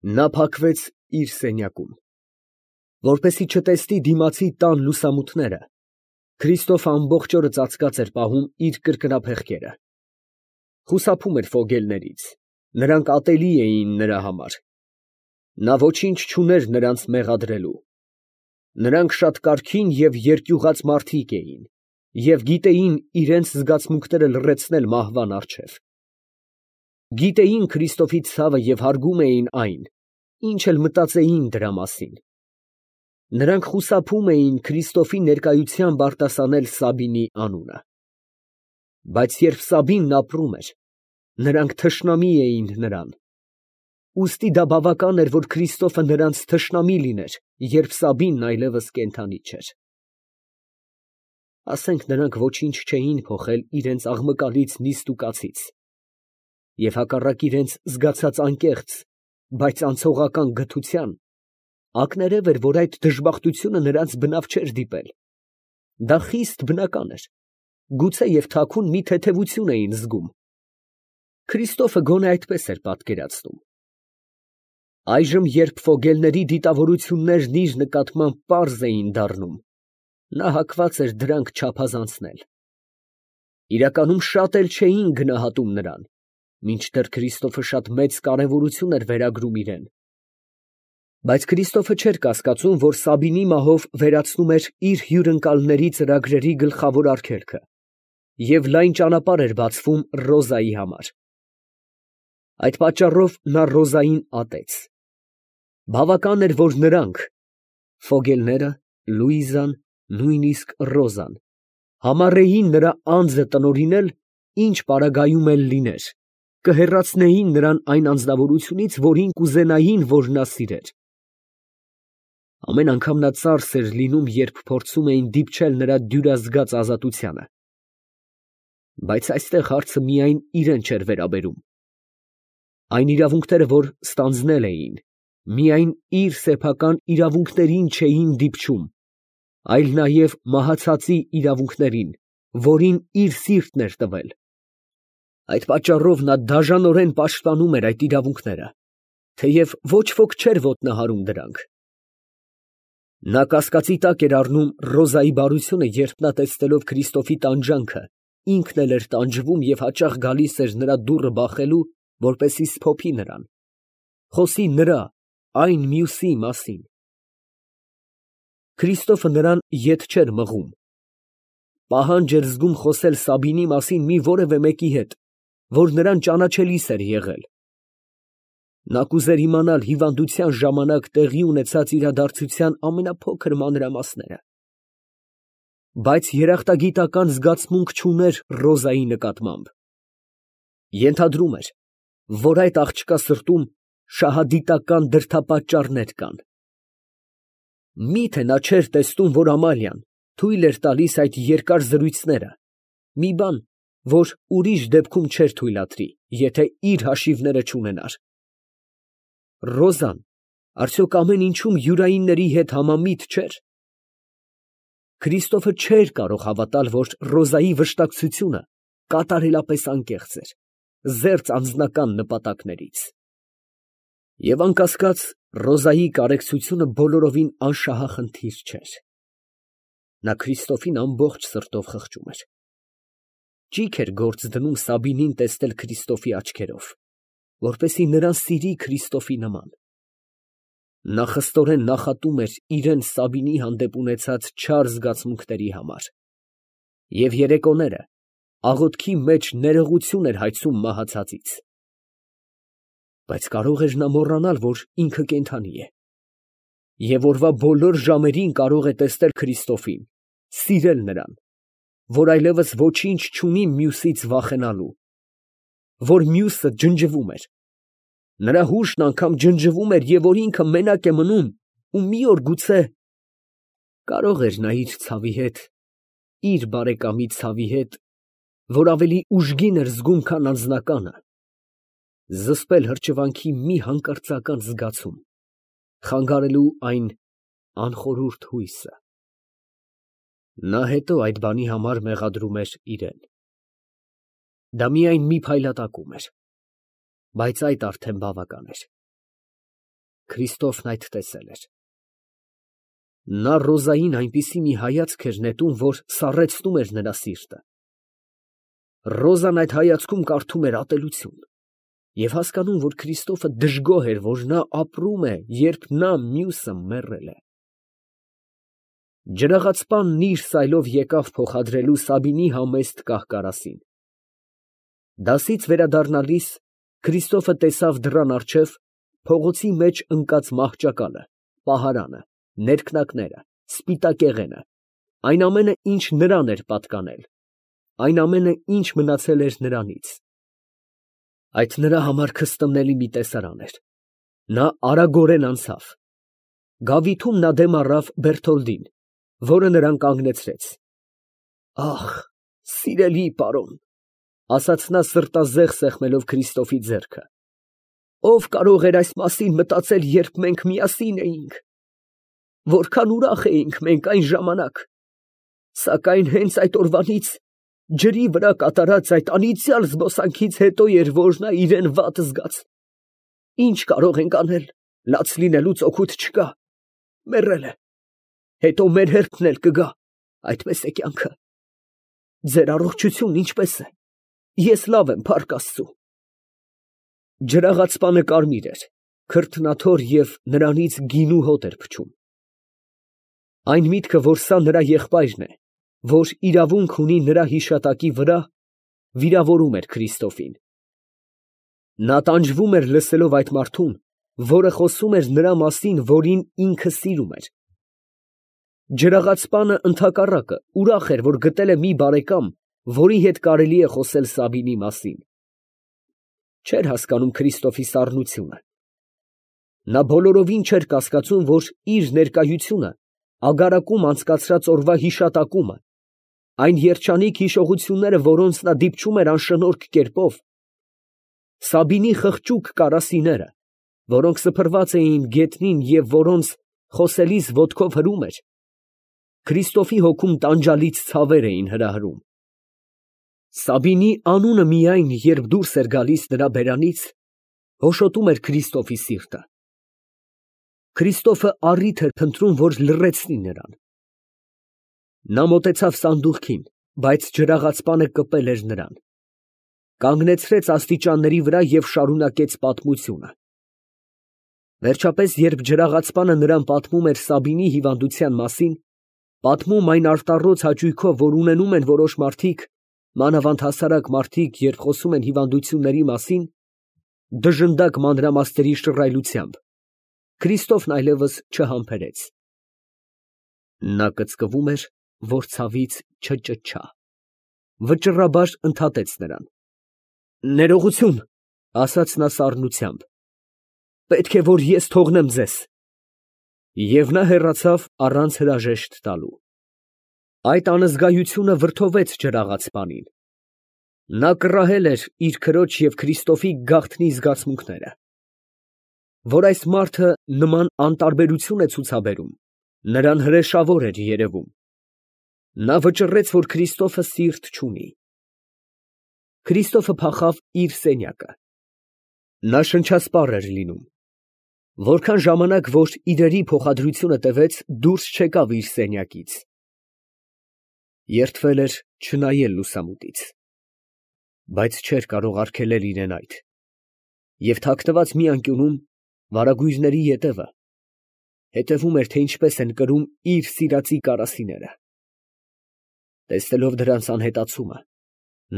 Նա փակվեց իր սենյակում, որպեսզի չտեսնի դիմացի տան լուսամուտները, Քրիստոֆը ամբողջ օրը ծածկած էր պահում իր կրկնափեղկերը, խուսափում էր ֆոգելներից, նրանք ատելի էին նրա համար, նա ոչինչ չուներ նրանց մեղադրելու, նրանք շատ կարգին և երկյուղած մարդիկ էին և գիտեին իրենց զգացմունքները լռեցնել մահվան առջև, գիտեին Քրիստոֆի ցավը և հարգում էին այն, ինչ էլ մտածեին դրա մասին, նրանք խուսափում էին Քրիստոֆի ներկայությամբ արտասանել Սաբինի անունը, բայց երբ Սաբինն ապրում էր, նրանք թշնամի էին նրան, ուստի դա բավական էր, որ Քրիստոֆը նրանց թշնամի լիներ, երբ Սաբինն այլևս կենդանի չէր։ Ասենք նրանք ոչինչ չէին փոխել իրենց աղմկալից նիստուկացից, և հակառակ իրենց զգացած անկեղծ, բայց անցողական գթության, ակներև էր, որ այդ դժբախտությունը նրանց բնավ չէր դիպել, դա խիստ բնական էր, գուցե և թաքուն մի թեթևություն էին զգում, Քրիստոֆը գոնե այդպես էր պատկերացնում։ Այժմ, երբ ֆոգելների դիտավորություններն իր նկատմամբ պարզ էին դառնում, նա հակված էր դրանք չափազանցնել։ Իրականում շատ էլ չէին գնահատում նրան, մինչդեռ Քրիստոֆը շատ մեծ կարևորություն էր վերագրում իրեն։ Բայց Քրիստոֆը չէր կասկածում, որ Սաբինի մահով վերացնում էր իր հյուրընկալների ծրագրերի գլխավոր արգելքը, և լայն ճանապարհ էր բացվում Ռոզայի համար։ Այդ պատճառով նա Ռոզային ատեց։ Բավական էր, որ նրանք, ֆոգելները, Լուիզան, նույնիսկ Ռոզան, համառեին նրա անձը տնօրինել, ինչ պարագայում էլ լիներ, կհեռացնեին նրան այն անձնավորությունից, որին կուզենային, որ նա սիրեր։ Ամեն անգամ նա ծարս էր լինում, երբ փորձում էին դիպչել նրա դյուրազգաց ազատությանը։ Բայց այստեղ հարցը միայն իրան չէր վերաբերում։ Այն իրավունքները, որ ստանձնել էին, միայն իր սեփական իրավունքներին չէին դիպչում, այլ նաև մահացածի իրավունքներին, որին իր սիրտն էր տվել։ Այդ պատճառով նա դաժանորեն պաշտպանում էր այդ իրավունքները, թեև ոչ ոք չէր ոտնահարում դրանք։ Նա կասկածի տակ էր առնում Ռոզայի բարությունը, երբ նա տեսնելով Քրիստոֆի տանջանքը, ինքն էլ էր տանջվում և հաճախ գալիս էր նրա դուռը բախելու, որպեսզի սփոփի նրան, խոսի նրա, այն մյուսի մասին։ Քրիստոֆը նրան ետ չէր մղում, պահանջ էր զգում խոսել Սաբինի մասին մի որևէ մեկի հետ, որ նրան ճանաչելիս էր եղել։ Նա կուզեր իմանալ հիվանդության ժամանակ տեղի ունեցած իրադարձության ամենափոքր մանրամասները, բայց երախտագիտական զգացմունք չուներ Ռոզայի նկատմամբ։ Ենթադրում էր, որ այդ աղջկա սրտում շահադիտական դրդապատճառներ կան։ Մի՞թե նա չէր տեսնում, որ Ամալիան թույլ էր տալիս այդ երկար զրույցները, մի բան, որ ուրիշ դեպքում չէր թույլատրի, եթե իր հաշիվները չունենար։ Ռոզան արդյոք ամեն ինչում յուրայինների հետ համամիտ չէր։ Քրիստոֆը չէր կարող հավատալ, որ Ռոզայի վշտակցությունը կատարելապես անկեղծ էր, զերծ անձնական նպատակներից։ Եվ անկասկած, Ռոզայի կարեկցությունը բոլորովին անշահախնդիր չէր։ Նա Քրիստոֆին ամբողջ սրտով խղճում էր։ Ճիգ էր գործ դնում Սաբինին տեսնել Քրիստոֆի աչքերով, որպեսզի նրան սիրի Քրիստոֆի նման։ Նա խստորեն նախատում էր իրան Սաբինի հանդեպ ունեցած չար զգացմունքների համար, և երեկոները աղոթքի մեջ ներողություն էր հայցում մահացածից։ Բայց կարող էր նա մոռանալ, որ ինքը կենդանի է, և օրվա բոլոր ժամերին կարող է տեսնել Քրիստոֆին, սիրել նրան, որ այլևս ոչինչ չունի մյուսից վախենալու, որ մյուսը ջնջվում էր, նրա հուշն անգամ ջնջվում էր, և որ ինքը մենակ է մնում, ու մի օր գուցե կարող էր նա իր ցավի հետ, իր բարեկամի ցավի հետ, որ ավելի ուժգին էր զգում, քան անձնականը, զսպել հրճվանքի մի հանկարծական զգացում, խանգարելու այն անխորհուրդ հույսը։ Նա հետո այդ բանի համար մեղադրում էր իրան։ Դա միայն մի փայլատակում էր, բայց այդ արդեն բավական էր։ Քրիստոֆն այդ տեսել էր։ Նա Ռոզային այնպիսի մի հայացք էր նետում, որ սառեցնում էր նրա սիրտը։ Ռոզան այդ հայացքում կարդում էր ատելություն և հասկանում, որ Քրիստոֆը դժգոհ էր, որ նա ապրում է, երբ նա մյուսը մեռել է։ Ջրաղացպանն իր սայլով եկավ փոխադրելու Սաբինի համեստ կահ֊կարասին։ Դասից վերադառնալիս Քրիստոֆը տեսավ դռան առջև փողոցի մեջ ընկած մահճակալը, պահարանը, ներքնակները, սպիտակեղենը, այն ամենը, ինչ նրան էր պատկանել, այն ամենը, ինչ մնացել էր նրանից։ Այդ նրա համար քստմնելի մի տեսարան էր։ Նա արագորեն անցավ։ Գավիթում նա դեմ առավ Բերթոլդին, որը նրան կանգնեցրեց։ «Ախ, սիրելի պարոն», ասաց նա սրտազեղ սեղմելով Քրիստոֆի ձեռքը, «ով կարող էր այս մասին մտածել, երբ մենք միասին էինք. որքան ուրախ էինք մենք այն ժամանակ, սակայն հենց այդ օրվանից ջրի վրա կատարած այդ անիծյալ զբոսանքից հետո էր, որ նա իրան վատ զգաց։ Ինչ կարող ենք անել, լաց լինելուց օգուտ չկա, մեռել է, հետո մեր հերթն էլ կգա, այդպես է կյանքը։ Ձեր առողջությունն ինչպես է։ Ես լավ եմ, փառք Աստծու»։ Ջրաղացպանը կարմիր էր, քրտնաթոր և նրանից գինու հոտ էր փչում։ Այն միտքը, որ սա նրա եղբայրն է, որ իրավունք ունի նրա հիշատակի վրա, վիրավորում էր Քրիստոֆին։ Նա տանջվում էր լսելով այդ մարդուն, որը խոսում էր նրա մասին, որին ինքը սիրում էր։ Ջրաղացպանը ընդհակառակը ուրախ էր, որ գտել է մի բարեկամ, որի հետ կարելի է խոսել Սաբինի մասին։ Չէր հասկանում Քրիստոֆի սառնությունը։ Նա բոլորովին չէր կասկածում, որ իր ներկայությունը ագարակում անցկացրած օրվա հիշատակումը, այն երջանիկ հիշողությունները, որոնց նա դիպչում էր անշնորհք կերպով, Սաբինի խղճուկ կարասիները, որոնք սփռված էին գետնին և որոնց խոսելիս ոտքով հրում էր, Քրիստոֆի հոգում տանջալից ցավեր էին հրահրում։ Սաբինի անունը միայն, երբ դուրս էր գալիս նրա բերանից, հոշոտում էր Քրիստոֆի սիրտը։ Քրիստոֆը առիթ էր փնտրում, որ լռեցնի նրան։ Նա մոտեցավ սանդուղքին, բայց ջրաղացպանը կպել էր նրան։ Կանգնեցրեց աստիճանների վրա և շարունակեց պատմությունը։ Վերջապես, երբ ջրաղացպանը նրան պատմում էր Սաբինի հիվանդության մասին, պատմում այն արտառոց հաճույքով, որ ունենում են որոշ մարդիկ, մանավանդ հասարակ մարդիկ, երբ խոսում են հիվանդությունների մասին, դժնդակ մանրամասների շռայլությամբ, Քրիստոֆն այլևս չհամբերեց։ Նա կծկվում էր, որ ցավից չճչա։ Վճռաբար ընդհատեց նրան։ «Ներողություն», ասաց նա սառնությամբ, «պետք է, որ ես թողնեմ ձեզ»։ Եվ նա հեռացավ առանց հրաժեշտ տալու։ Այդ անզգայությունը վրդովեց ջրաղացպանին։ Նա կռահել էր իր քրոջ և Քրիստոֆի գաղտնի զգացմունքները։ Որ այս մարդը նման անտարբերություն է ցուցաբերում, նրան հրեշավոր էր երևում։ Նա վճռեց, որ Քրիստոֆը սիրտ չունի։ Քրիստոֆը փախավ իր սենյակը։ Նա շնչասպառ էր լինում։ Որքան ժամանակ, որ իրերի փոխադրությունը տևեց, դուրս չեկավ իր սենյակից։ Երդվել էր չնայել լուսամուտից, բայց չէր կարող արգելել իրան այդ, և թաքնված մի անկյունում վարագույրների ետևը հետևում էր, թե ինչպես են կրում իր սիրածի կարասիները։ Տեսնելով դրանց անհետացումը,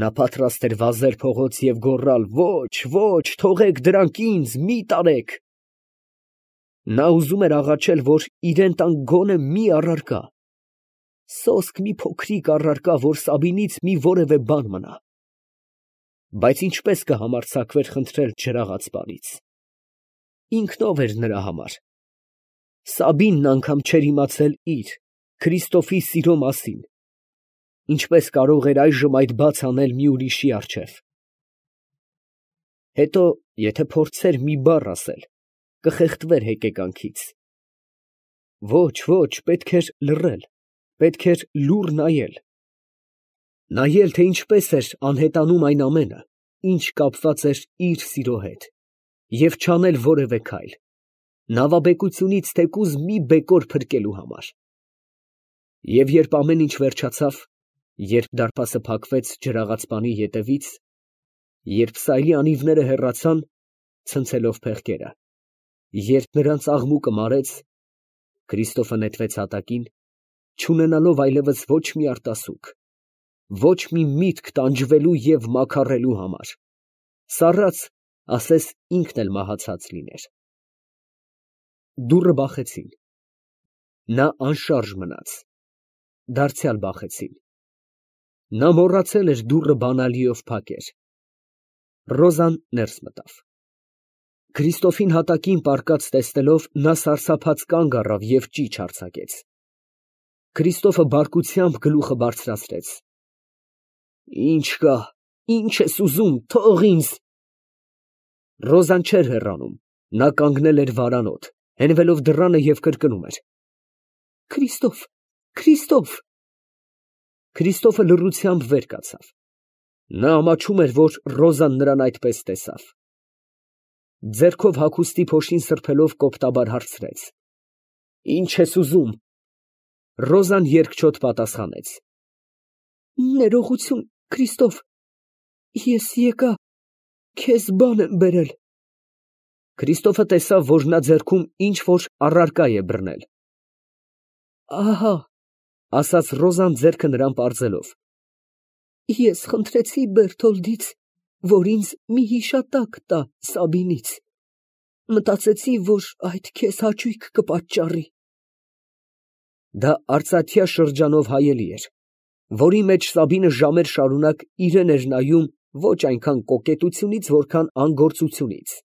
նա պատրաստ էր վազել փողոց և գոռալ. «Ոչ, ոչ, թողեք դրանք ինձ, մի տարեք»։ Նա ուզում էր աղաչել, որ իրան տան գոնե մի առարկա, սոսկ մի փոքրիկ առարկա, որ Սաբինից մի որևէ բան մնա։ Բայց ինչպես կհամարձակվեր խնդրել ջրաղացպանից։ Ինքն ով էր նրա համար։ Սաբինն անգամ չէր իմացել իր, Քրիստոֆի սիրո մասին։ Ինչպես կարող էր այժմ այդ բաց անել մի ուրիշի առջև։ Հետո, եթե փորձեր մի բառ ասել, կխեղդվեր հեկեկանքից։ Ոչ, ոչ, պետք էր լռել, պետք էր լուռ նայել։ Նայել, թե ինչպես էր անհետանում այն ամենը, ինչ կապված էր իր սիրո հետ, և չանել որևէ քայլ։ նավաբեկությունից թեկուզ մի բեկոր փրկելու համար։ Եվ երբ ամեն ինչ վերջացավ, երբ դարպասը փակվեց ջրաղացպանի ետևից, երբ սայլի անիվները հեռացան, ցնցելով փեղկերը, երբ նրանց աղմուկը մարեց, Քրիստոֆը նետվեց հատակին, չունենալով այլևս ոչ մի արտասուք, ոչ մի միտք տանջվելու և մաքարելու համար, սառած, ասես ինքն էլ մահացած լիներ։ Դուռը բախեցին։ Նա անշարժ մնաց։ Դարձյալ բախեցին։ Նա մոռացել էր դուռը բանալիով փակեր։ Ռոզան ներս մտավ։ Քրիստոֆին հատակին պառկած տեսնելով, նա սարսափած կանգ առավ և ճիչ արձակեց։ Քրիստոֆը բարկությամբ գլուխը բարձրացրեց։ Ի՞նչ կա, ի՞նչ ես ուզում, թող ինձ։ Ռոզան չէր հեռանում, նա կանգնել էր վարանոտ, հենվելով դռանը և կրկնում էր. Քրիստոֆ, Քրիստոֆ։ Քրիստոֆը լռությամբ վեր կացավ։ Նա ամաչում էր, որ Ռոզան նրան այդպես տեսավ։ Ձեռքով հագուստի փոշին սրբելով կոպտաբար հարցրեց. Ի՞նչ ես ուզում։ Ռոզան երկչոտ պատասխանեց. Ներողություն, Քրիստոֆ, ես եկա քեզ բան եմ բերել։ Քրիստոֆը տեսավ, որ նա ձեռքում ինչ֊որ առարկա է բռնել։ Ահա, ասաց Ռոզան ձեռքը նրան պարզելով. Ես խնդրեցի Բերթոլդից, որ ինձ մի հիշատակ տա Սաբինից։ Մտածեցի, որ այդ քեզ հաճույք կպատճառի։ Դա արծաթյա շրջանով հայելի էր, որի մեջ Սաբինը ժամեր շարունակ իրան էր նայում ոչ այնքան կոկետությունից, որքան անգործությունից։